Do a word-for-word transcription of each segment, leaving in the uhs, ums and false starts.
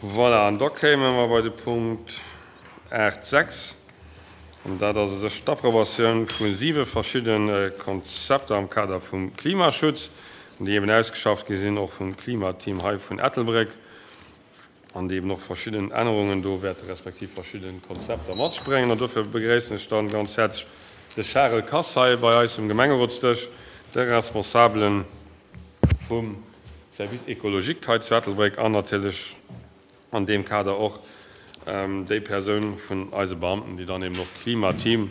Voilà, an da kéime mer bei de Punkt aacht sechs. An dat ass u sech d'Approbatioun vu siwe verschidde Konzepter am Kader vum Klimaschutz, déi eben ausgeschafft gi sinn, och vum Klimateam hei vun Ettelbréck, an déi eben och verschidden Ännerungen do wäerte respektiv verschidde Konzepter mat sech bréngen. An dofir begréissen ech dann ganz häerzlech de Charel Kass hei bei eis um Gemengerotsdësch, de Responsabele vum Service écologique hei zu Ettelbréck an natierlech an deem Kader och déi Persoun vun eise Beamten, déi dann eben och d'Klimateam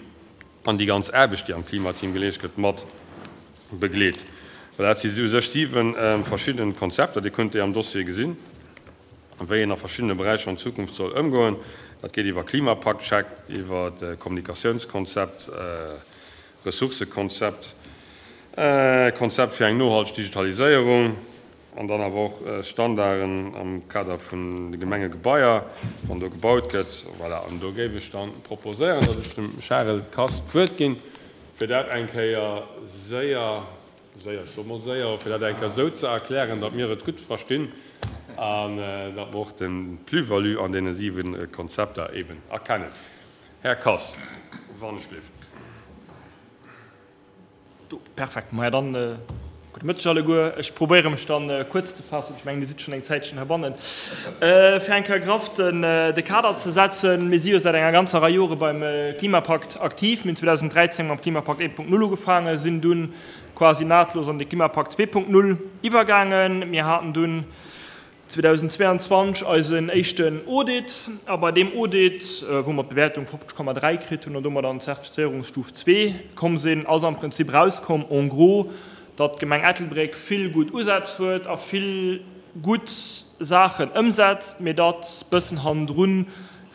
an déi ganz Aarbecht, déi am Klimateam geleescht gëtt, mat begleet. Well dat si u sech siwe verschidde Konzepter, Dir kënnt déi am Dossier gesinn, wéi een a verschiddene Beräicher an Zukunft soll ëmgoen. Dat geet iwwer Klimapakt-Check, iwwer Kommunikatiounskonzept, Ressourcëkonzept, Konzept fir eng nohalteg Digitaliséierung an dann awer och Standarden am Kader vun de Gemengegebaier, wann do gebaut gëtt. Voilà, an do géif ech dann proposéieren, datt ech dem Charel Kass d'Wuert ginn, fir dat eng Kéier séier, séier, ech soe mol séier, fir dat eng Kéier esou ze erklären, datt mir et gutt verstinn an datt mer och de Plus-value an deene siwe Konzepter eben erkennen. Här Kass, wann ech gleef. Do, perfekt. Maja, dann gudde Mëtteg alleguer. Ech probéiere mech dann kuerz ze faassen. Ech mengen, Dir sidd schonn eng Zäitchen heibannen. Fir eng Kéier graff den de Kader ze setzen, Mir si jo säit enger ganzer Rei Jore beim Klimapakt aktiv. Mir hunn zweedausenddräizéng mam Klimapakt eent Punkt null ugefaangen, sinn dunn quasi nahtlos an de Klimapakt zwee Punkt null iwwergaangen. Mir haten dunn zweedausendzweianzwanzeg eisen éischten Audit, a bei deem Audit, wou mer d'Bewäertung fofzeg Komma dräi kritt hunn an domat an d'Zertifizéierungsstuf zwee komm sinn, ass am Prinzip erauskomm, en gros, datt d'Gemeng Ettelbréck vill gutt Usätz huet a vill gutt Saachen ëmsetzt, mee datt bëssen hannendrun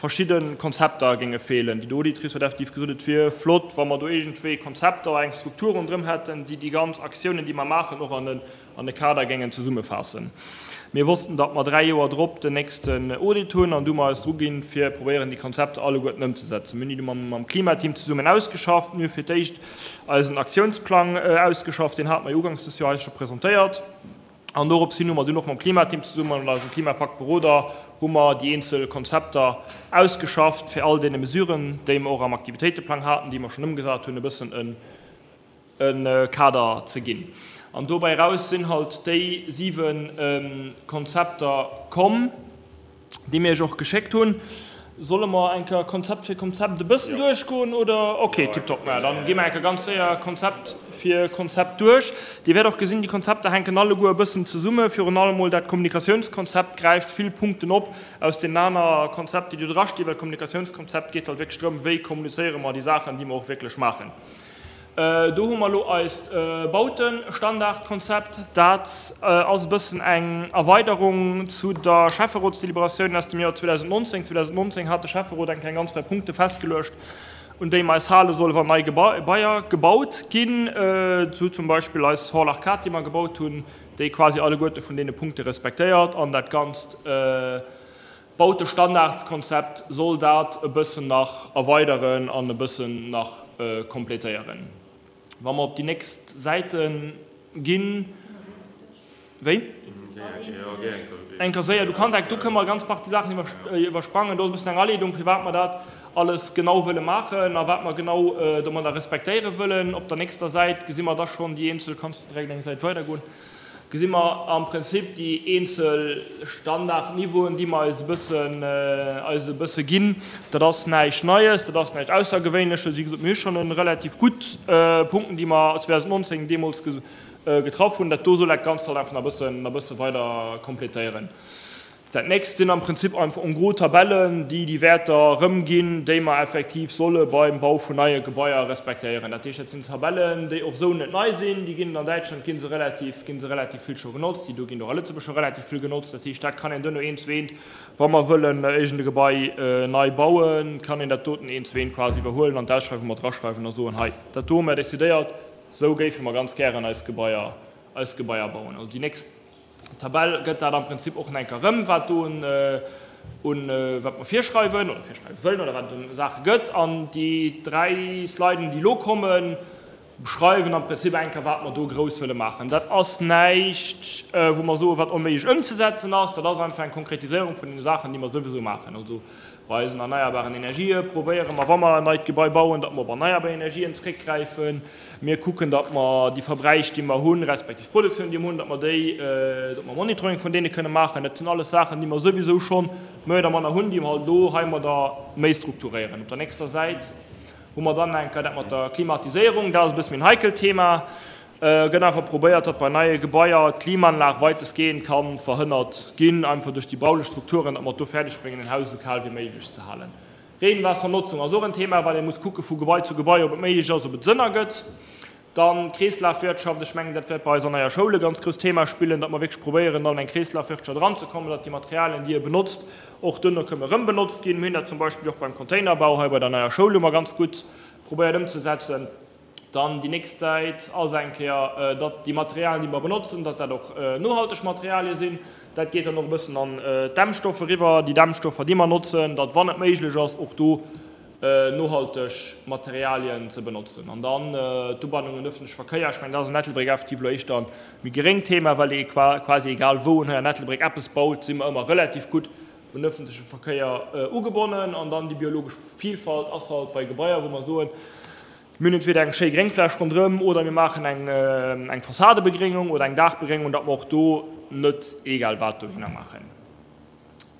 verschidde Konzepter géinge feelen. Déi Auditrice huet effektiv gesot, et wier flott, wa mer do iergendwéi Konzepter, eng Struktur ronderëm hätten, déi déi ganz Aktiounen, déi mer maachen, och an e Kader géingen zesummefaassen. Mir wossten, datt mer dräi Joer drop den nächsten Audit hunn an du hu mer eis druginn, fir probéieren, déi Konzepter alleguerten ëmzesetzen. Mir hunn déi du mam Klimateam zesummen ausgeschafft. Mir hu fir d'éischt eisen Aktiounsplang ausgeschafft, deen hate mer jo uganks des Joer eis scho presentéiert. An dorops hin hu mer dunn och mam Klimateam zesummen an eisem Klimapaktberoder hu mer déi eenzel Konzepter ausgeschafft, fir all deene Mesuren, déi mer och am Aktivitéiteplang haten, déi mer schonn ëmgesat hunn, e bëssen e e Kader ze ginn. An dobäi eraus sinn halt déi siwe Konzepter komm, déi mir Iech och geschéckt hunn. Solle mer eng Kéier Konzept fir Konzept e bëssen duerchgoen, oder? Okay, tiptop. Maja, dann gi mer eng Kéier ganz séier Konzept fir Konzept duerch. Dir wäert och gesinn, déi Konzepter hänken alleguer e bëssen zesumme. Virun allem mol dat Kommunikatiounskonzept gräift vill Punkten op aus deenen aner Konzepter, déi do drastinn, well d'Kommunikatiounskonzept geet halt wierklech drëm, wéi kommunizéiere mer déi Saachen, déi mer och wierklech maachen. Do hu mer elo eist Bautenstandardkonzept. Dat ass e bëssen eng Erweiderung zu der Schäfferotsdeliberatioun aus dem Joer zweedausendnonzéng. zweedausendnonzéng hat de Schäfferot eng kleng ganz Rei Punkte festgeluecht, un déi mer eis hale solle wann nei Gebaier gebaut ginn, sou zum Beispill eis Hall Arcade, déi mer gebaut hunn, déi quasi alleguerte vun deene Punkte respektéiert an dat Ganzt. Bautestandardskonzept soll dat e bëssen nach erweideren an e bëssen nach complétéieren. Wa mer op déi nächst Säite ginn. Wéi? Eng Kéier séier, du kanns eng, do kënne mer ganz Partie Saachen iwwersprangen. Do ass e bëssen eng Aleedung, firwat mer dat alles genau wëlle maachen a wat mer genau domadder respektéiere wëllen. Op der nächster Säit gesi mer da schonn déi eenzel, kanns du direkt eng Säit weidergoen? Gesi mer am Prinzip déi eenzel Standardniveauen, déi mer eis e bëssen, eis e bësse ginn. Dat ass näischt Neies, dat ass näischt Aussergewéinleches. Wéi gesot, mir hu schonn e relativ gutt Punkten, déi mer zweedausendnonzéng deemools getraff hunn. Dat do soll dat Ganzt halt einfach nach e bëssen, nach e bësse weider kompletéieren. Dat nächst sinn am Prinzip einfach en gros Tabellen, déi déi Wäerter erëmginn, déi mer effektiv solle beim Bau vun neie Gebaier respektéieren. Dat heescht, dat sinn Tabellen, déi och esou net nei sinn. Déi ginn an Däitschland gi se relativ, gi se relativ vill scho genotzt. Déi do ginn och a Lëtzebuerg scho relativ vill genotzt. Dat heescht, dat kann een duerno eent zu eent, wa mer wëllen iergend e Gebai nei bauen, kann een dat doten eent zu eent quasi iwwerhuelen an d'Ausschreiwung mat eraschreiwen a soen, hei, dat do hu mer decidéiert, esou géife mer ganz gären eis Gebaier, eis Gebaier bauen. Also déi nächst. D'Tabell gëtt dat am Prinzip och nach eng Kéier erëm, wat do un, wat mer virschreiwen oder virschreiwe wëllen oder wat et un Saache gëtt. An déi dräi Sliden, déi elo kommen, beschreiwen am Prinzip eng Kéier, wat mer do grouss wëlle maachen. Dat ass näischt, wou mer soen, wat onméiglech ëmzesetzen ass. Dat ass einfach eng Konkretiséierung vun deene Saachen, déi mer souwisou maachen. Also bei eisen erneierbaren Energië probéiere mer, wa mer en neit Gebai bauen, datt mer op erneierbar Energien zréckgräifen. Mir kucken, datt mer déi Verbräich, déi mer hunn, respektiv d'Produktioun, déi mer hunn, datt mer déi, datt mer Monitoring vun deene kënne maachen. Dat sinn alles Saachen, déi mer souwisou scho méi oder manner hunn, déi mer halt elo heimadder méi strukturéieren. Op der nächster Säit hu mer dann eng Kéier dat mat der Klimatiséierung. Dat ass e bësse méi en heikelt Thema. Gëtt einfach probéiert, datt bei neie Gebaier d'Klimaanlag weitestgehend ka verhënnert ginn, einfach duerch déi baulech Strukturen, datt mer et do fäerdeg bréngen, en Haus esou kal wéi méiglech ze halen. Regenwaassernotzung ass och en Thema, well ee muss kucke vu Gebai zu Gebai, ob et méiglech ass, ob et Sënn ergëtt. Dann d'Kreeslafwirtschaft, ech mengen, dat wäert bei eiser neier Schoul e ganz grousst Thema spillen, datt mer wierklech probéieren, an eng Kreeslafwirtschaft eranzekommen, datt déi Materialien, déi ee benotzt, och duerno këmme erëm benotzt ginn. Mir hunn dat zum Beispill och beim Containerbau hei bei der neier Schoul hu mer ganz gutt probéiert ëmzesetzen. Dann déi nächst Säit ass eng Kéier, datt déi Materialien, déi mer benotzen, datt dat och nohalteg Materialie sinn. Dat geet dann och e bëssen an d'Dämmstoffe eriwwer, déi Dämmstoffer, déi mer notzen, datt, wann et méiglech ass, och do nohalteg Materialien ze benotzen. An dann d'Ubannung un öffentleche Verkéier, ech mengen, dat ass an Ettelbréck effektiv elo éischter e méi geréngt Thema, well ee quasi egal wou en hei an Ettelbréck eppes baut, si mer ëmmer relativ gutt un öffentleche Verkéier ugebonnen. An dann déi biologesch Vielfalt ass halt bei Gebaier, wou mer soen, mir hunn entweder eng schéi Gréngfläch ronderëm oder mir maachen eng eng Fassadebegréngung oder eng Daachbegréngung, datt mer och do net egal wat dohinner maachen.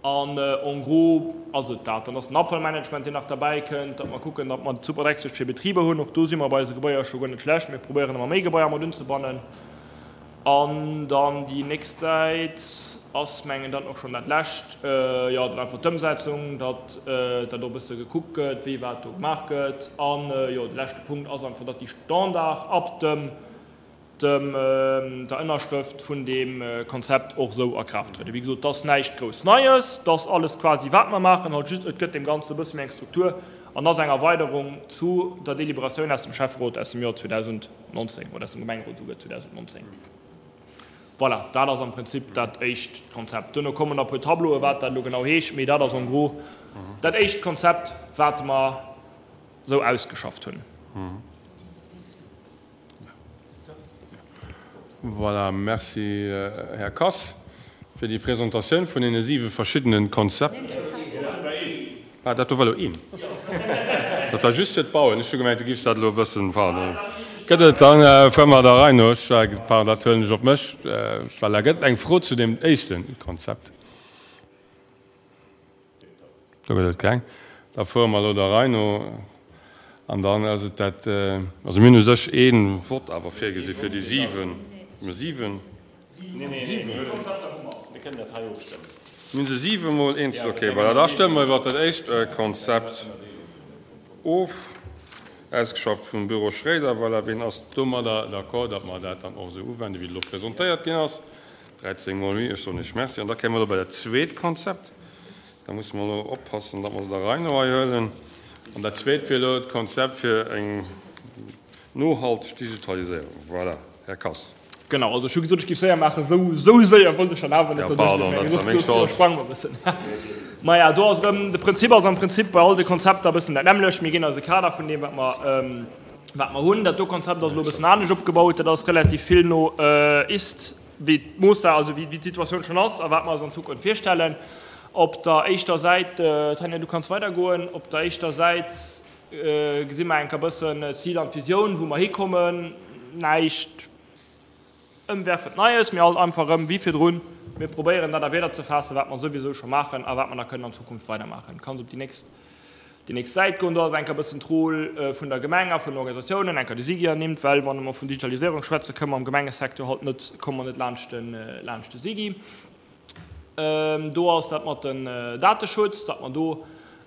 An en gros ass et dat. Dann ass den Abfallmanagement, deen nach derbäi kënnt, datt mer kucken, datt mer d'Superdrecksecht fir Betriber hunn. Och do si mer bei eise Gebaier scho guer net schlecht. Mir probéieren ëmmer méi Gebaier mat unzebannen. An dann déi nächst Säit ass, mengen dann och schonn dat lescht, jo, dann einfach d'Ëmsetzung, datt dat och e bësse gekuckt gëtt, wéi wat do gemaach gëtt. An, jo, de leschte Punkt ass einfach, datt déi Standard ab dem dem der Ënnerschrëft vun deem Konzept och esou a Kraaft trëden. Wéi gesot, et ass näischt grouss Neies, et ass alles quasi wat mer maachen, halt just et gëtt deem Ganzen e bësse méi eng Struktur an ass eng Erweiderung zu der Deliberatioun aus dem Schäfferot aus dem Joer zweedausendnonzéng oder aus dem Gemengerot esouguer zweedausendnonzéng. Voilà, dat ass am Prinzip dat éischt Konzept. Duerno kommen nach e puer Tableaue wat dat elo genau heescht, mee dat ass en gros dat éischt Konzept, wat mer esou ausgeschafft hunn. Voilà, merci, Här Kass, fir déi Presentatioun vun deene siwe verschiddene Konzepter. Ah, dat do war elo een. Dat war just fir d'Bauen. Ech hu gemengt, du giffs dat elo e bëssen, pardon. Gëtt et dann, fuere mer der Rei no. Ech war, pardon, dat huelen ech op mech. Voilà, gëtt et eng Fro zu deem éischte Konzept? Do gëtt et keng. Da fuere mer elo der Rei no. An dann ass et dat, also mir hunn u sech ee Vott awer virgesi fir déi siwen, siwen? Mir hunn se siwemol eenzel, okay, voilà, da stëmme mer iwwert dat éischt Konzept of, ausgeschafft vum Büro Schréider. Voilà, wien ass domadder d'accord, datt mer dat dann och esou uwenden, wéi et elo presentéiert ginn ass? dräizéng mol oui, ech soen Iech Merci. An da kéime mer elo bei dat zweet Konzept. Da musse mer elo oppassen, datt mer se der Rei no hei huelen. An dat Zweet wier elo d'Konzept fir eng nohalteg Digitaliséierung. Voilà, Här Kass. Genau, also ech hu gesot, ech géif séier maachen. Esou, esou séier wollt ech dann awer net Ja, pardon, dat war meng Schold. Iwwersprange mer e bëssen. Maja, do ass erëm, de Prinzip ass am Prinzip bei all de Konzepter e bëssen dat nämmlecht. Mir ginn eis e Kader vun deem, wat mer, wat mer hunn. Dat do Konzept ass elo e bëssen anescht opgebaut. Dat ass relativ vill no ist, wéi d'Mooss, also wéi d'Situatioun schonn ass a wat mer eis an Zukunft virstellen. Op der éischter Säit, Tanja, du kanns weidergoen, op der éischter Säit gesi mer enk e bëssen d'Zil an d'Visioun, wou mer hikommen. Näischt ëmwerfend Neies, mee alt einfach erëm wéi virdrun, mir probéieren dat a Wierder ze faassen, wat mer souwisou scho maachen a wat mer da kënnen an Zukunft weidermaachen. Kanns op déi nächst, déi nächst Säit goen. Do ass enk e bëssen d'Rôle vun der Gemeng a vun den Organisatiounen, enker de SIGI ernimmt, well wann mer vun Digitaliséierung schwätzen, kënnen mer am Gemengesecteur halt net, komme mer net laanscht de, laanscht de SIGI. Do ass dat mat den Dateschutz, datt mer do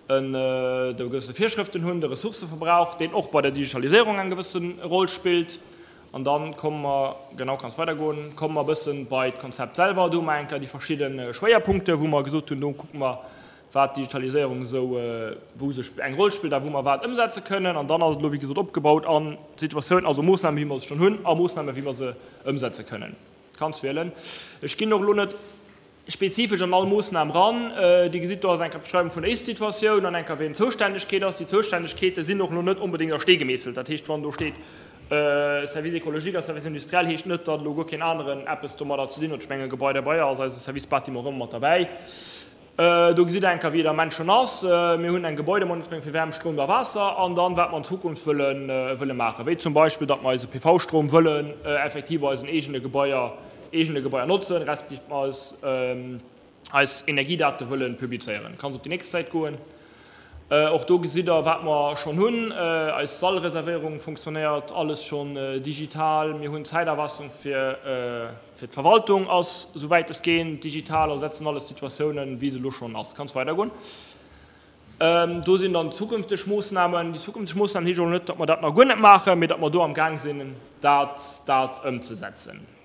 do gewësse Virschrëften hunn, de Ressourcëverbrauch, deen och bei der Digitaliséierung eng gewësse Roll spillt. An da komme mer, genau, kanns weidergoen, komme mer e bësse bei d'Konzept selwer. Do hu mer eng Kéier déi verschidde Schwéierpunkte, wou mer gesot hunn, do kucke mer, wat d'Digitaliséierung esou, wou se eng Roll spillt a wou mer wat ëmsetze kënnen. An dann ass et elo, wéi gesot, opgebaut an d'Situatioun, also Moossnamen, wéi mer se schonn hunn, a Moossnamen, wéi mer se ëmsetze kënnen. Kanns wielen. Ech ginn och elo net spezifesch an all Moossnam ran. Dir gesitt, do ass eng Kéier d'Beschreiwung vun der Ist-Situatioun an eng Kéier, wien d'Zoustännegkeet ass. Déi Zoustännegkeete sinn och elo net onbedéngt a Stee gemeesselt. Dat heescht, wann do steet Service écologique a Service industriel heescht net, datt elo guer keen aneren eppes domadder ze dinn huet. Ech mengen, Gebai derbei ass eise Service Bâtiment erëm mat derbäi. Do gesitt Der eng Kéier, wéi et am Ament schonn ass. Mir hunn eng Gebäudemonitoring fir Wärm, Stroum a Waasser an dann, wat mer an Zukunft wëlle wëlle maachen, wéi zum Beispill, datt mer eise P V-Stroum wëllen effektiv bei eisen eegene Gebaier eegene Gebaier notzen, respektiv mer eis eis Energiedate wëlle publizéieren. Kanns op déi nächst Säit goen. Och do gesitt Der, wat mer schonn hunn. Eis Sallreservéierung funktionéiert alles schonn digital. Mir hunn d'Zäiterfassung fir d'Verwaltung ass souwäit es geet digital. Also dat sinn alles Situatiounen, wéi se elo schonn ass. Kanns weidergoen. Do sinn dann zukünfteg Moossnamen. Déi zukünfteg Moossnamen heescht och net, datt mer dat nach guer net maachen, mee datt mer do am Gaang sinn, dat dat ëmzesetzen.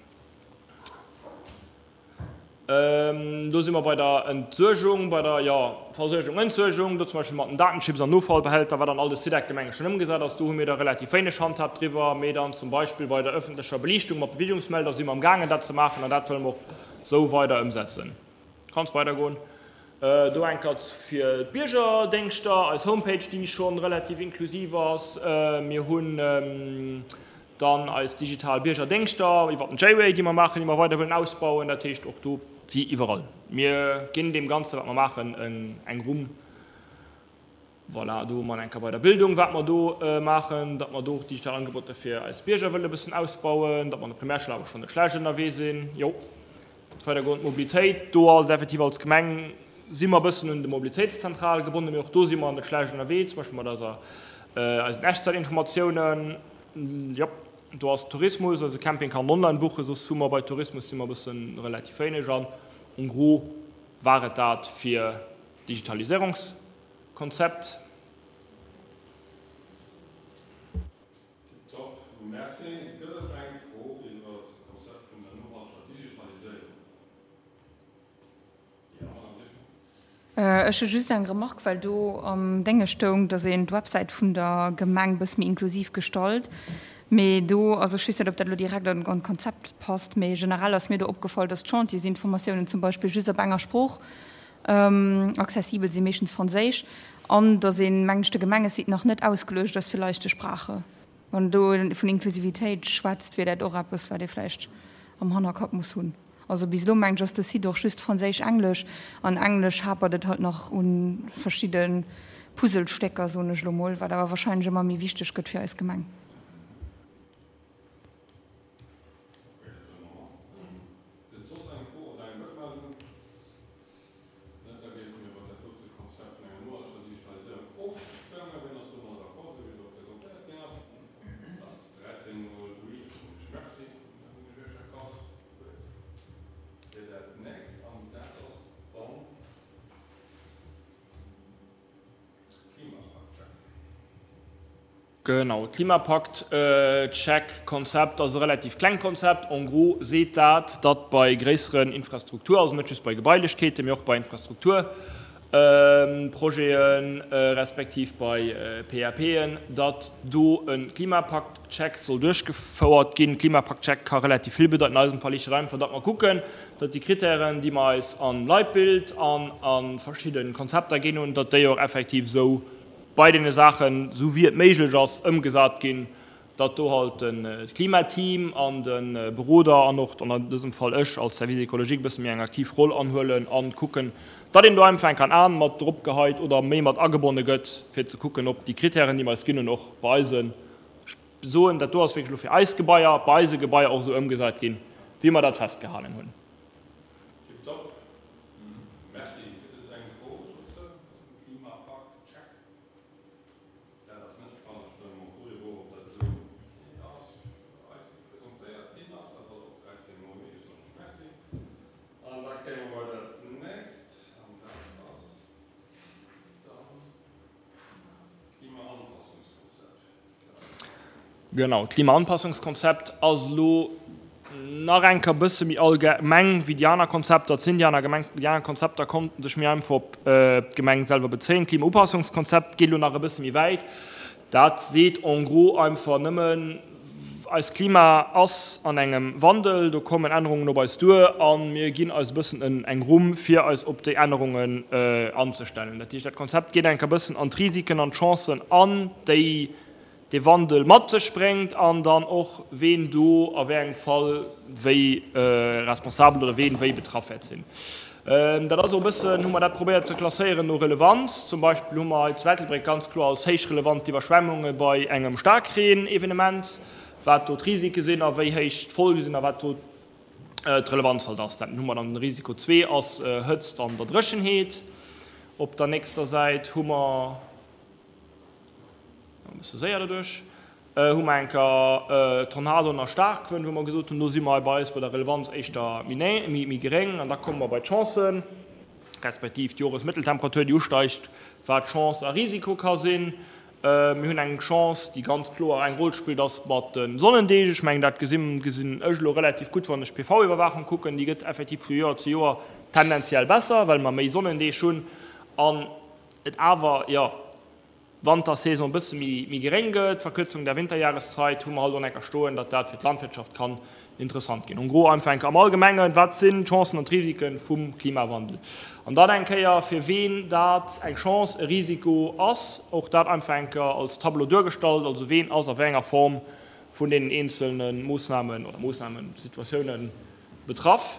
Do si mer bei der Entsuergung, bei der, jo, Versuergung, Entsuergung, do zum Beispill mat den Datenchips an Offallbehälter, wat an all de SIDEC-Gemenge schonn ëmgesat ass. Do hu mir da relativ wéineg Handhab driwwer. Mee dann zum Beispill bei der ëffentlecher Beliichtung mat Beweegungsmelder si mer amgaangen, dat ze maachen, an dat wëlle mer och esou weider ëmsetzen. Kanns weidergoen. Do eng Kéier fir d'Biergerdéngschter, eis Homepage, déi scho relativ inklusiv ass. Mir hunn dann eis digital Biergerdéngschter iwwer den J-Way, déi mer maachen, déi mer weider wëllen ausbauen. Dat heescht och do, wéi iwwerall, mir ginn deem Ganze, wat mer maachen, eng Rumm. Voilà, do hu mer eng Kéier bei der Bildung, wat mer do maachen, datt mer do och digital Angeboter fir eis Bierger wëlle bëssen ausbauen, datt mer an der Primärschoul awer schonn net schlecht ënnerwee sinn. Jo, weidergoen, d'Mobilitéit, do ass et effektiv als Gemeng si mer e bëssen un de Mobilitéitszentral gebonnen, mee och do si mer net schlecht ënnerwee, zum Beispill mat eiser, eisen Echtzeitinformatiounen. Jo, do ass Tourismus, also Camping kann online buchen, soss hu mer bei Tourismus si mer e bëssen relativ wéineg an en gros war et dat fir Digitaliséierungskonzept. Tiptop, merci. Gëtt et eng Fro iwwer d'Konzept vun der nohalteger Digitaliséierung? Jo, Madame Rischmann. Ech hu just eng Remarque, well do am Dénge stoung, datt een d'Websäit vun der Gemeng e bësse méi inklusiv gestalt. Mee do, also ech weess net, ob dat elo direkt an d'Konzept passt, mee generell ass mir do opgefall, datt d'Chantiersinformatiounen zum Beispill just op enger Sprooch accessibel sinn, meeschtens Franséisch, an datt een, mengen ech, de Gemengesite nach net ausgeluecht ass fir leichte Sprache. Wann do vun Inklusivitéit schwätzt, wier dat och eppes, wat ee vläicht am Hannerkapp muss hunn. Also bis elo, mengen ech, ass de Site och just Franséisch-Englesch, an Englesch hapert et halt nach u verschidde Puzzlestécker, soen ech elo mol, wat awer wahrscheinlech ëmmer méi wichteg gëtt fir eis Gemeng. Okay, dat huele mer mat. Gëtt et soss eng Fro oder eng Wuertmeldung? Net? Da géife mir iwwer dat dote Konzept vun enger nohalteger Digitaliséierung ofstëmmen. Wien ass domadder d'accord, esou wéi et elo presentéiert ginn ass? Dat ass dräizéng mol oui. Ech soen Iech Merci, Här Buergermeeschter Kass. Gutt. Fir dat nächst, an dat ass dann Klimapakt-Check. Genau, Klimapakt-Check-Konzept ass e relativ klengt Konzept. En gros seet dat, datt bei gréisseren Infrastruktur, also net just bei Gebailechkeeten, mee och bei Infrastrukturprojeten, respektiv bei P A P'en, datt do e Klimapakt-Check soll duerchgefouert ginn. Klimapakt-Check ka relativ vill bedeiten. An eisem Fall heescht dat einfach, datt mer kucken, datt déi Kritären, déi mer eis am Leitbild an a verschidde Konzepter ginn hunn, datt déi och effektiv esou bei deene Saachen, esou wéi et méiglech ass, ëmgesat ginn, datt do halt de Klimateam an de Beroder an och an dësem Fall ech als Service écologique e bësse méi eng aktiv Roll anhuelen an kucken, datt een do einfach enk an Aen mat drop geheit oder méi mat agebonne gëtt, fir ze kucken, ob déi Kritären, déi mer eis ginn hunn, och bei eisen, ech soen, dat do ass wierklech elo fir eis Gebaier, bei eise Gebaier och esou ëmgesat ginn, wéi mer dat festgehalen hunn. Tiptop. Merci. Gëtt et eng Fro dozou, zum Klimapakt-Check? Dat ass net de Fall. Da stëmme mer och doriwwer of, ob dat esou ok ass, wéi eis presentéiert ginn ass. Dat ass och dräizéng mol oui. Ech soen lech Merci. An da kéime mer bei dat nächst, an dat ass dann d'Klimaanpassungskonzept. Genau, d'Klimaanpassungskonzept ass elo nach eng Kéier e bësse méi allgemeng wéi déi aner Konzepter. Et sinn déi aner Gemeng, déi aner Konzepter konnten sech méi einfach op d'Gemeng selwer bezéien. D'Klimaupassungskonzept geet elo nach e bësse méi wäit. Dat seet en gros einfach nëmmen, eist Klima ass an engem Wandel, do kommen Ännerungen op eis duer a mir ginn eis e bëssen eng Rumm, fir eis op déi Ännerungen anzestellen. Dat heescht, dat Konzept geet eng Kéier e bëssen an d'Risiken an d'Chancen an, déi dee Wandel mat sech bréngt an dann och ween do a wéi engem Fall wéi responsabel oder ween wéi betraff wäert sinn. Dat ass och e bëssen, hu mer dat probéiert ze klasséieren no Relevanz. Zum Beispill hu mer hei zu Ettelbréck ganz kloer als héich relevant d'Iwwerschwemmunge bei engem Staarkreen-Evenement, wat do d'Risike sinn a wéi héich d'Folge sinn a wat do d'Relevanz halt ass. Dat hu mer dann, den Risiko zwee ass Hëtzt an der Dréchenheet. Op der nächster Säit hu mer, e bësse séier doduerch, hu mer eng Kéier Tornadoen a Staarkwënn, wou mer gesot hunn, do si mer bei eis bei der Relevanz éischter méi geréng. An da komme mer bei d'Chancen, respektiv d'Joresmëtteltemperatur, déi usteigt, wat Chance a Risiko ka sinn. Mir hunn eng Chance, déi ganz kloer eng Roll spillt, ass mat de Sonnendeeg. Ech mengen, dat gesinn ech elo relativ gutt, wann ech d'P V-Iwwerwaachung kucken. Déi gëtt effektiv vu Joer zu Joer tendenziell besser, well mer méi Sonnendeeg hunn an et awer, jo, Wantersaison e bësse méi geréng gëtt, Verkürzung der Winterjahreszeit, hu mer halt och enker stoen, datt dat fir d'Landwirtschaft kann interessant ginn. En gros einfach enker am Allgemengen, wat sinn d'Chancen an d'Risike vum Klimawandel? An dann eng Kéier, fir ween dat eng Chance, e Risiko ass, och dat einfach enker als Tableau duergestallt, also ween ass a wéi enger Form vun deenen eenzelne Moossnamen oder Moossnamen, Situatiounen betraff.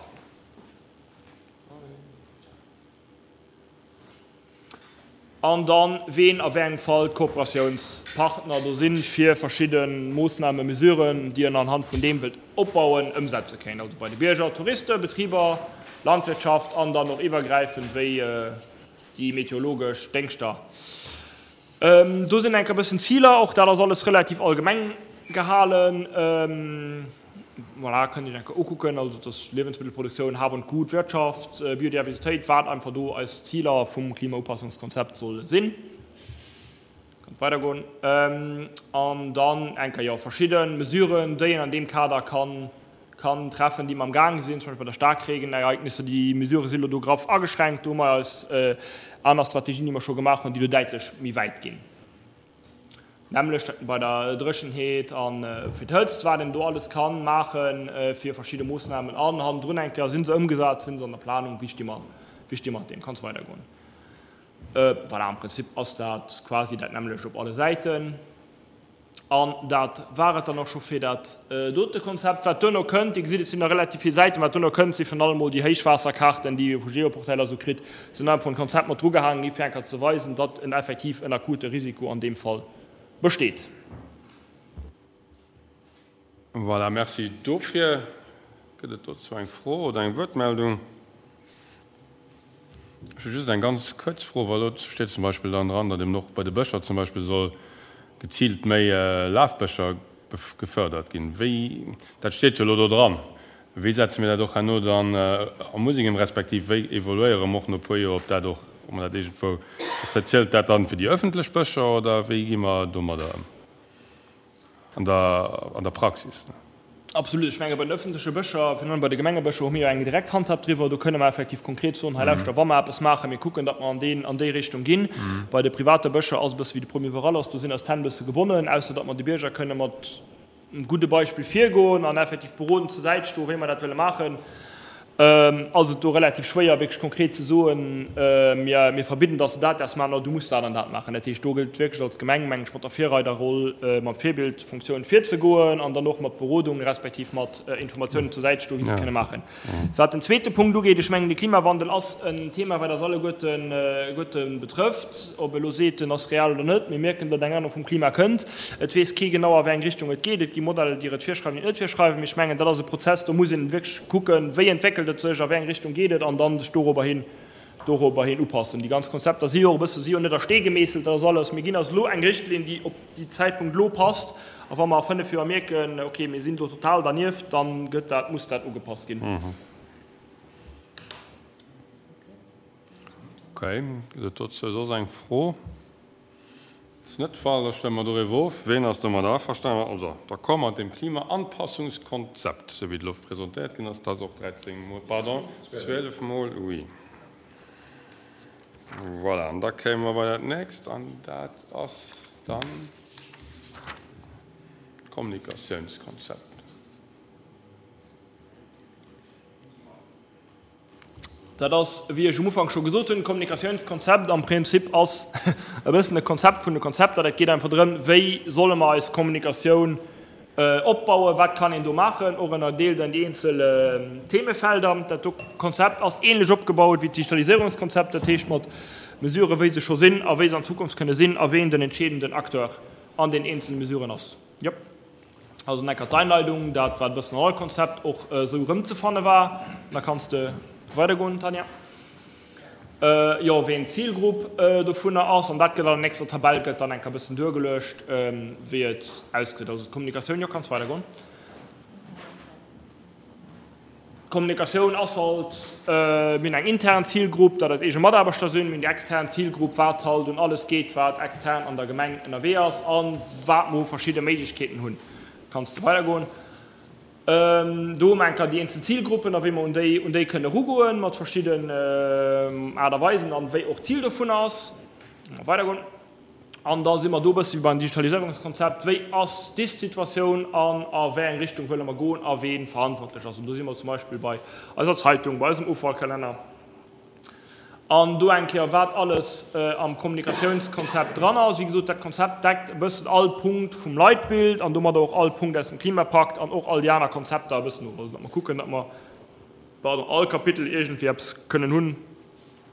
An dann, ween a wéi engem Fall d'Kooperatiounspartner do sinn, fir verschidde Moossnamen, Mesuren, déi en anhand vun deem wëllt opbauen, ëmsetze kéint. Also bei de Bierger, Touristen, Betriber, Landwirtschaft an dann och iwwergräifend wéi déi meteorologesch Déngschter. Do sinn enk e bëssen Ziler, och dat ass alles relativ allgemeng gehalen. Voilà, kënnt Iech eng Kéier ukucken, also dass Liewensmittelproduktioun, Hab und Gut, Wirtschaft, Biodiversitéit, wat einfach do eis Ziler vum Klimaupassungskonzept solle sinn. Kënnt weidergoen. An dann eng Kéier, jo, verschidde Mesuren, déi een an deem Kader kann, kann treffen, déi mer am Gaang sinn, zum Beispill bei der Staarkregenereignisser, déi Mesurë si lo do graff ageschränkt, do hu mer eis aner Strategien, déi mer scho gemaach hunn, déi do däitlech méi wäit ginn. Nämmlecht bei der Dréchenheet a fir d'Hëtzt, wat een do alles ka maache fir verschidde Moossnamen. An hannendrun eng Kéier, si se ëmgesat, si se an der Planung, wéi sti mer, wéi sti mer mat deem? Kann weidergoen. Voilà, am Prinzip ass dat quasi dat nämmlecht op alle Säiten. An dat war et dann och scho fir dat dote Konzept. Wat duerno kënnt, Dir gesitt, et sinn nach relativ vill Säiten, wat duerno kënnt, si virun allem mol déi Héichwaasserkaarten, déi Dir vu Geoportail a sou kritt, sinn einfach en Konzept mat drugehaangen gi fir eng Kéier ze weisen, datt en effektiv en akute Risiko an deem Fall besteet. Voilà, merci dofir. Gëtt et dozou eng Fro oder eng Wuertmeldung? Ech hu just eng ganz kuerz Fro, well do steet zum Beispill dann dran, datt eben och bei de Bëscher zum Beispill soll geziilt méi Lafbëscher gefërdert ginn. Wéi, dat steet jo elo do dran, wéi setze mir dat och herno dann am Museum, respektiv wéi evoluéiere mer och no e puer Joer, ob dat och, ob mer dat iergendwou, zielt dat dann fir déi ëffentlech Bëscher oder wéi gi mer domadder ëm an der, an der Praxis? Absolut. Ech menge bei den ëffentleche Bëscher, virun allem bei de Gemengebëscher, hu mir jo eng direkt Handhab driwwer. Do kënne mer effektiv konkret soen, hei lauschter, wa mer eppes maachen, mir kucken, datt mer an deen, an déi Richtung ginn. Bei de private Bëscher ass e bësse wéi de Premier iwwerall ass, do sinn eis d'Hänn e bësse gebonnen, ausser datt mer de Bierger kënne mat engem gudde Beispill virgoen an effektiv berodend zur Säit stoen, wéi mer dat wëlle maachen. Ass et do relativ schwéier wierklech konkret ze soen, mir, mir verbidden, dass de dat däerfs maachen oder du muss dat an dat maachen. Dat heescht, do gëllt et wierklech als Gemeng, mengen ech, mat der Virreiderroll, mat Virbildfunktioun virzegoen an dann och mat Berodung respektiv mat Informatiounen zur Säit stoen, wéi se et kënne maachen. Wat den zweete Punkt ugeet, ech mengen, de Klimawandel ass en Thema, wat eis alleguerten betrëfft, ob elo seet, en ass real oder net. Mir mierken, datt eng Ännerung vum Klima kënnt. Et weess kee genau, a wéi eng Richtung et geet. Et gi Modeller, déi et virschreiwen, déi et net virschreiwen. Mee ech mengen, dat ass e Prozess, do muss een wierklech kucken, wéi entwéckelt et sech, a wéi eng Richtung geet et, an dann sech dorobber hin, dorobber hin upassen. Déi ganz Konzepter si jo och e bësse, si jo net a Stee gemeesselt, dat ass alles. Mir ginn eis elo eng Richtlinn, déi op déi Zäitpunkt elo passt, a wa mer a fënnef Joer mierken, okay, mir sinn do total dernieft, da gëtt dat, muss dat ugepasst ginn. Okay, gëtt et dozou soss eng Fro? Ass net de Fall, da stëmme mer doriwwer of. Ween ass domadder averstanen? Also, d'accord mat deem Klimaanpassungskonzept, esou wéi et elo presentéiert ginn ass, dat ass och dräizéng Mol, pardon, zwielef Mol, oui. Voilà, an da kéime mer bei dat nächst, an dat ass dann d'Kommunikatiounskonzept. Dat ass, wéi ech um Ufank scho gesot hunn, Kommunikatiounskonzept am Prinzip ass e bëssen e Konzept vun de Konzepter. Dat geet einfach drëm, wéi solle mer eis Kommunikatioun opbauen, wat kann een do maachen, och ënnerdeelt an déi eenzel Themefelder. Dat do Konzept ass ähnlech opgebaut wéi d'Digitaliséierungskonzept, dat heescht mat Mesuren, wéi se scho sinn a wéi se an Zukunft kënne sinn a ween den entscheedenden Acteur an den eenzele Mesuren ass. Jo. Also enker d'Einleidung, dat wat e bëssen an all Konzept och esou erëmzefanne war. Da kanns de weidergoen, Tanja. Jo, ween d'Zilgrupp dovunner ass, an dat gëtt an der nächster Tabell gëtt dann enker e bëssen duergeluecht, wéi et ausgesäit. Also d'Kommunikatioun, jo, kanns weidergoen. D'Kommunikatioun ass halt, mir hunn eng intern Zilgrupp, dat eis eege Mataarbechter sinn, mir hunn déi extern Zilgrupp, wat halt un alles geet, wat extern an der Gemeng ënnerwee ass a wat mer u verschidde Méiglechkeeten hunn. Kanns de weidergoen. Do hu mer enker déi eenzel Zilgruppen a wéi mer un déi un déi kënne erugoen mat verschidden Aart a Weisen an wéi och d'Zil dovun ass. Weidergoen. An da si mer do e bësse wéi beim Digitaliséierungskonzept, Wéi ass d'Ist-Situatioun an a wéi eng Richtung wëlle mer goen a wee verantwortlech ass? An do si mer zum Beispill bei eiser Zeitung, bei eisem Offallkalenner. An do eng Kéier, wat alles am Kommunikatiounskonzept dran ass. Wéi gesot, dat Konzept deckt e bëssen all Punkt vum Leitbild an domadder och all Punkt aus dem Klimapakt an och all déi aner Konzepter e bëssen of. Also datt mer kucken, datt mer, pardon, all Kapitel iergendwéi eppes kënnen hunn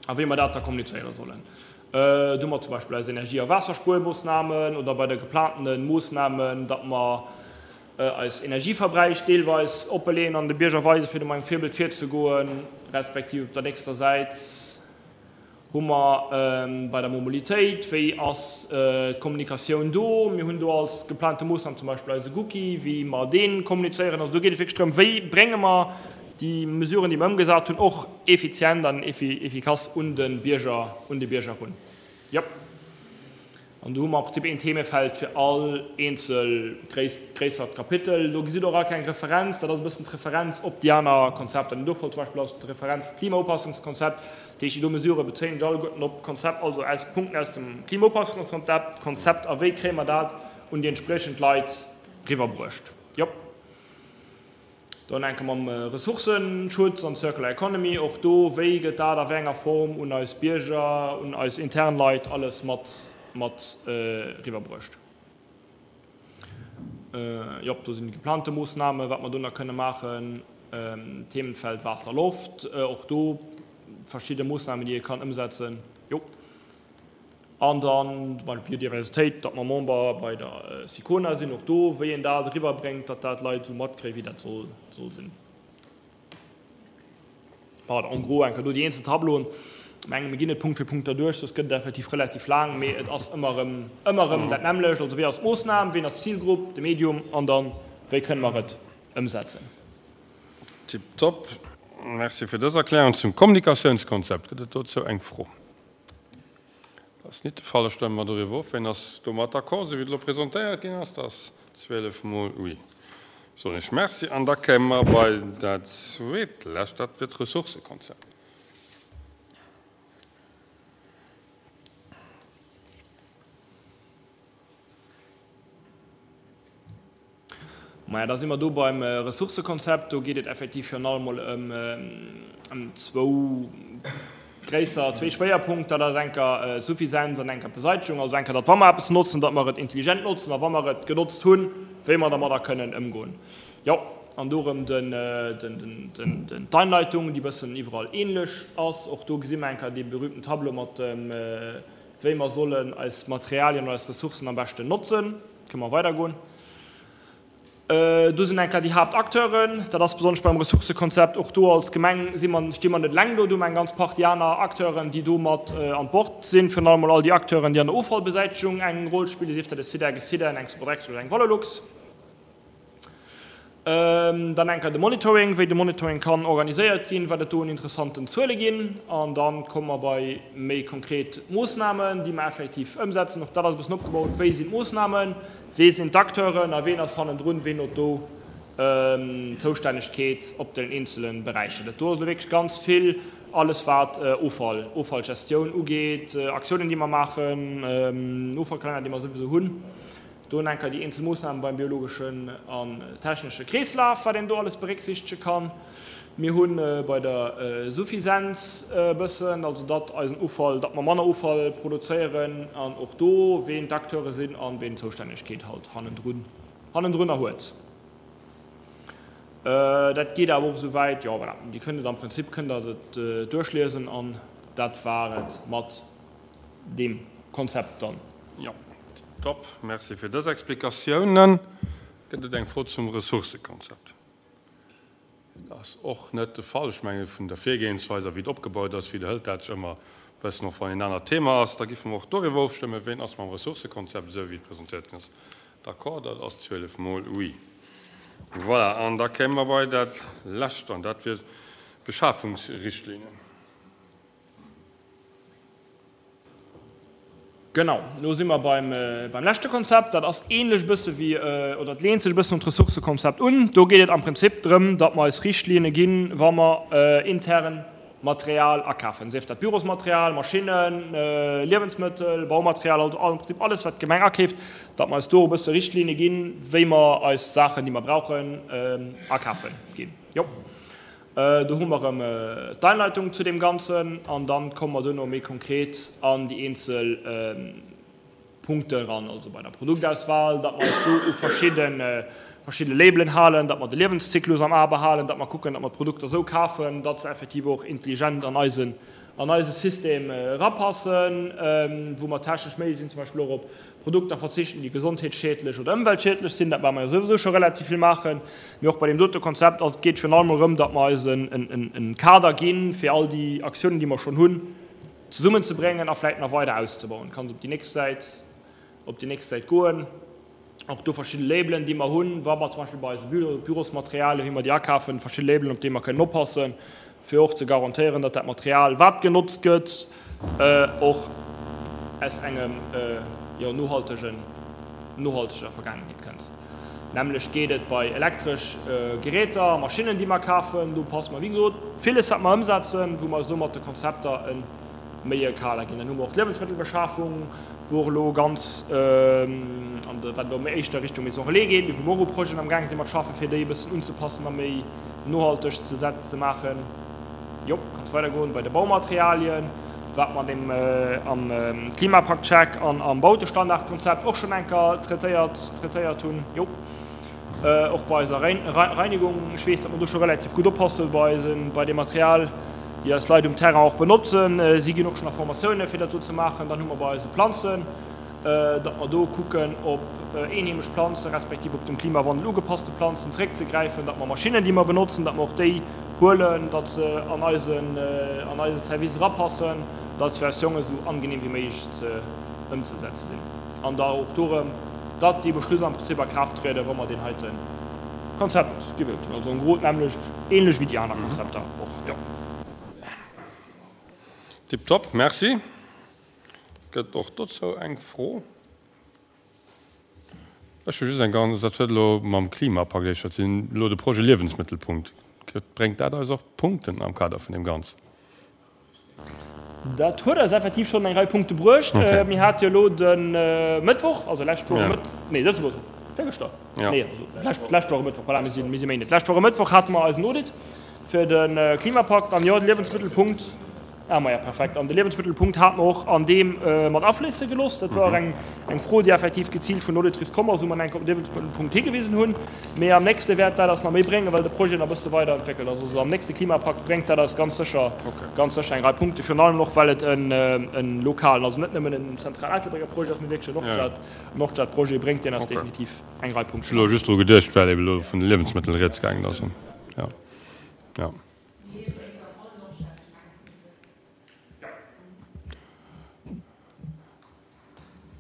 a wéi mer dat da kommunizéiere sollen. Do hu mer zum Beispill eis Energie a Waasserspuermoossnamen oder bei de geplantene Moossnamen, datt mer eis Energieverbräich deelweis oppeleeën an de Bierger weisen, fir do mat engem Virbild virzegoen, respektiv op der nächster Säit hu mer bei der Mobilitéit, wéi ass d'Kommunikatioun do? Mir hunn do als geplante Moossnam zum Beispill eise Gucci, wéi mer dee kommunizéieren. Also do geet et wierklech drëm, wéi brénge mer déi Mesuren, déi mer ëmgesat hunn, och effizient an efficace un de Bierger, un de Bierger erun. Jo. An do hu mer am Prinzip een Themefeld fir all eenzel gréissert Kapitel. Do gesitt Der och all kleng Referenz. Dat ass e bëssen d'Referenz op déi aner Konzepter. An dofir zum Beispill ass d'Referenz d'Klimaupassungskonzept. Dat heescht, déi do Mesurë bezéien sech alleguerten op d'Konzept, also aus Punkten aus dem Klimaupassungskonzept, Konzept a wéi kréie mer dat un déi entspriechend Leit riwwerbruecht. Jo. Dann enke mam Ressourcenschutz an Circular Economy, och do, wéi gëtt dat a wéi enger Form un eis Bierger, un eis intern Leit alles mat mat eriwwerbruecht. Jop, do sinn déi geplante Moossnamen, wat mer do nach kënne maachen. Themenfeld Waasser, Loft, och do verschidde Moossnamen, déi ee kann ëmsetzen. Jo. An dann bei der Biodiversitéit, datt mer Member bei der SICONA sinn, och do, wéi een dat eriwwerbréngt, datt dat d'Leit esou matkréien, wéi dat soll sinn. Pardon, en gros eng Kéier do déi eenzel Tableauen. Ech mengen, mir ginn net Punkt fir Punkt derduerch, soss gëtt et effektiv relativ laang, mee et ass ëmmer erëm, ëmmer erëm dat nämmlecht. Also wéi ass d'Moossnam, ween ass d'Zilgrupp, de Medium an dann, wéi kënne mer et ëmsetzen. Tiptop. Merci fir dës Erklärung zum Kommunikatiounskonzept. Gëtt et dozou eng Fro? Dat ass nit de Fall. Da stëmme mer doriwwer of. Wien ass domat d'accord, esou wéi et elo presentéiert ginn ass? Dat ass zwielef mol oui. Soen ech Merci. An da kéime mer bei dat zweet lescht, dat wier d'Ressourcëkonzept. Maja, da si mer do beim Ressourcëkonzept. Do geet et effektiv virun allem mol ëm zwou gréisser, zwee Schwéierpunkter. Dat ass enker d'Suffisenz an enker d'Beseitegung. Also enker, datt wa mer eppes notzen, datt mer et intelligent notzen a wa mer et genotzt hunn, wéi mer dermadder kënnen ëmgoen. Jo, an do erëm d'Einleitung, déi e bëssen iwwerall ähnlech ass. Och do gesi mer enker dee berühmten Tableau mat dem, wéi mer sollen eis Materialien oder eis Ressourcen am beschten notzen. Kënne mer weidergoen. Do sinn eng Kéier déi Haaptakteuren, dat ass besonnesch beim Ressourcëkonzept, och do als Gemeng si mer, sti mer net eleng do, do hu mer eng ganz Partie aner Akteuren, déi do mat an Bord sinn, virun allem mol all déi Akteuren, déi an der Offallbesäitegung eng Roll spillen, sief dat e SIDEC, e SIDEN, eng Sodexo oder eng Valorlux. Dann eng Kéier de Monitoring, wéi de Monitoring kann organiséiert ginn, wat et do un interessanten Zuele ginn. An da komme mer bei méi konkret Moossnamen, déi mer effektiv ëmsetzen. Och dat ass e bëssen opgebaut, Wéi sinn d'Moossnamen, wee sinn d'Acteuren a ween ass hannendrun, ween huet do d'Zoustännegkeet op den eenzele Beräicher. Dat do ass elo wierklech ganz vill, alles wat Offall, Offallgestioun ugeet, Aktiounen, déi mer maachen, Offallkalenner, dee mer souwisou hunn. Do nach eng Kéier déi eenzel Moossnamen beim biologeschen an technesche Kreeslaf, wat een do alles berécksiichtege kann. Mir hu bei der Suffisenz e bëssen, also datt eisen Offall, datt mer manner Offall produzéieren an och do, ween d'Acteure sinn an ween d'Zoustännegkeet halt hannendrun, hannendrunner huet. Dat geet awer och esou wäit, jo voilà, Dir kënnt et am Prinzip kënnt Der et duerchliesen an dat war et mat deem Konzept dann. Jo, top. Merci fir dës Explikatiounen. Gëtt et eng Fro zum Ressourcëkonzept? Dat ass och net de Fall. Ech menge vun der Virgehensweis a wéi et opgebaut ass, widderhëlt dat sech ëmmer e bëssen, och wann een anert Thema ass. Da giffe mer och doriwwer ofstëmmen. Ween ass mam Ressourcëkonzept, esou wéi et presentéiert ginn ass, d'accord? Dat ass zwielef mol oui. Voilà, an da kéime mer bei dat Lescht, an dat wier d'Beschafungsrichtlinien. Genau, elo si mer beim, beim leschte Konzept. Dat ass ähnlech e bësse wéi, oder et leent sech e bëssen un d'Ressourcëkonzept un. Do geet et am Prinzip drëm, datt mer eis Richtlinne ginn, wa mer intern Material akafen, sief dat Bürosmaterial, Maschinnen, Liewensmëttel, Baumaterial, also am Prinzip alles, wat d'Gemeng akeeft, datt mer eis do e bësse Richtlinne ginn, wéi mer eis Saachen, déi mer brauchen, akafe ginn. Jo. Do hu mer erëm d'Einleitung zu deem Ganzen an da komme mer duerno méi konkret an déi eenzel Punkte eran, also bei der Produktauswahl, datt mer eis do u verschidde verschidde Labelen halen, datt mer de Liewenszyklus am A behalen, datt mer kucken, datt mer d'Produkter esou kafen, datt se effektiv och intelligent an eisen an eise System erapassen, wou mer technesch méi sinn, zum Beispill och op Produkter verzichten, déi gesondheetsschiedlech oder ëmweltschiedlech sinn. Dat maache mer jo souwisou scho relativ vill maachen. Mee och bei deem dote Konzept ass, et geet virun allem erëm, datt mer eis e Kader ginn, fir all déi Aktiounen, déi mer schonn hunn, zesummenzebréngen a vläicht nach weider auszebauen. Kanns op déi nächst Säit, op déi nächst Säit goen. Och do verschidde Labelen, déi mer hunn, wa mer zum Beispill bei eise Bürosmaterialien, wéi mer déi akafen, verschidde Labelen, op déi mer kënnen oppassen, fir och ze garantéieren, datt dat Material, wat genotzt gëtt, och aus engem, jo, nohaltegen, nohalteger Vergaangenheet kënnt. D'nämmlecht geet et bei elektresch Geräter, Maschinnen, déi mer kafen. Do passe mer, wéi gesot, villes, wat mer ëmsetzen, wou mer eis elo mat de Konzepter e méi e Kader ginn. Dann hu mer och d'Liewensmëttelbeschafung, wou och elo ganz an de, wat elo méi éischter Richtung Maison Relais geet, mee wou mer och u Projeten amgaang sinn mat schaffen, fir déi e bëssen unzepassen a méi nohalteg ze ze maachen. Jo, kanns weidergoen. Bei de Baumaterialien, wat mer an deem am Klimapakt-Check an am Bautestandardkonzept och schonn eng Kéier traitéiert traitéiert hunn. Jo. Och bei eiser Reinigung, ech weess, datt mer do scho relativ gutt oppasse bei eisen, bei deem Material, déi eis Leit um Terrain och benotzen. Si ginn och schonn a Formatioune fir dat do ze maachen. Dann hu mer bei eise Planzen, datt mer do kucken, op eenheemesch Planze respektiv op dem Klimawandel ugepasste Planzen zréckzegräifen, datt mer Maschinnen, déi mer benotzen, datt mer och déi huelen, datt se an eisen, an eise Service erapassen, datt se fir eis Jongen esou angenehm wéi méiglech ze ëmzesetze sinn. An da och do erëm, datt déi Beschlüss am Prinzip a Kraaft trieden, wa mer deen heite Konzept gewielt hunn. Also en gros d'nämmlecht, ähnlech wéi déi aner Konzepter och, jo. Tiptop, merci. Gëtt och dozou eng Fro? Ech hu just eng ganz, dat huet elo mam Klimapakt éischter ze dinn, elo de Projet Liewensmëttelpunkt. Bréngt dat eis och Punkten am Kader vun deem Ganzen? Dat huet eis effektiv schonn eng Rei Punkte bruecht. Mir hate jo elo de Mëttwoch, also lescht Woch e Mëttwoch, nee dëse Mëttwoch, virgëschter, nee also lescht Woch e Mëttwoch, voilà, mir si mir si Méinden, d'lescht Woch e Mëttwoch hate mer eisen Audit fir de Klimapakt an jo, de Liewensmëttelpunkt, ah maja, perfekt, an de Liewensmëttelpunkt hate mer och an deem mat afléisse gelooss. Dat war och eng eng Fro, déi effektiv geziilt vun der Auditrice komm ass, wou mer enk op de Liewensmëttelpunkt higewisen hunn. Mee am nächste wäert dat eis nach méi bréngen, well de Projet nach e bësse weiderentwéckelt ass. Also am nächste Klimapakt bréngt dat eis ganz sécher, ganz sécher eng Rei Punkte, virun allem och well et en lokalen, also net nëmmen en zentral Ettelbrécker Projet ass, mee wierklech en Nordstad, Nordstadprojet, bréngt deen eis definitiv eng Rei Punkten. Ech hu elo just dru geduecht, well ebe elo vun de Liewensmëttel rieds gaangen ass. Jo, jo.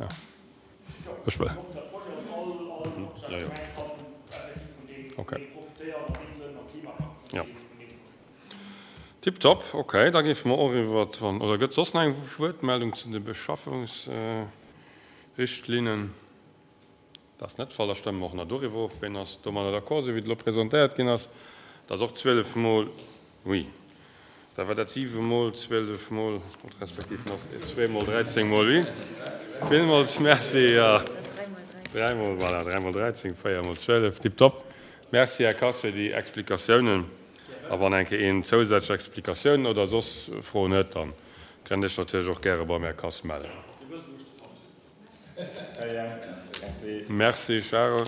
Ja. Ech wëll. Ja, ja. Okay. Ja. Tipptopp. Okay, da géife mer och iwwer, wann, oder gëtt soss nach eng Wuertmeldung zu de Beschaffungsrichtlinnen? Dat ass net de Fall. Da stëmme mer och nach doriwwer of. Ween ass domadder d'accord, esou wéi et elo presentéiert ginn ass? Dat ass och zwielef Mol oui. Da war dat siwe Mol zwielef Mol, respektiv nach zwee Mol dräizéng Mol oui. Villmools Merci. Dräi mol, voilà, dräi mol dräizéng, véier mol zwielef, tiptop. Merci, Här Kass, fir déi Explikatiounen. A wann eng Kéier een zousätzlech Explikatiounen oder soss Froen huet, da kënnt Iech natierlech och gäre beim Här Kass mellen. Merci, Charel.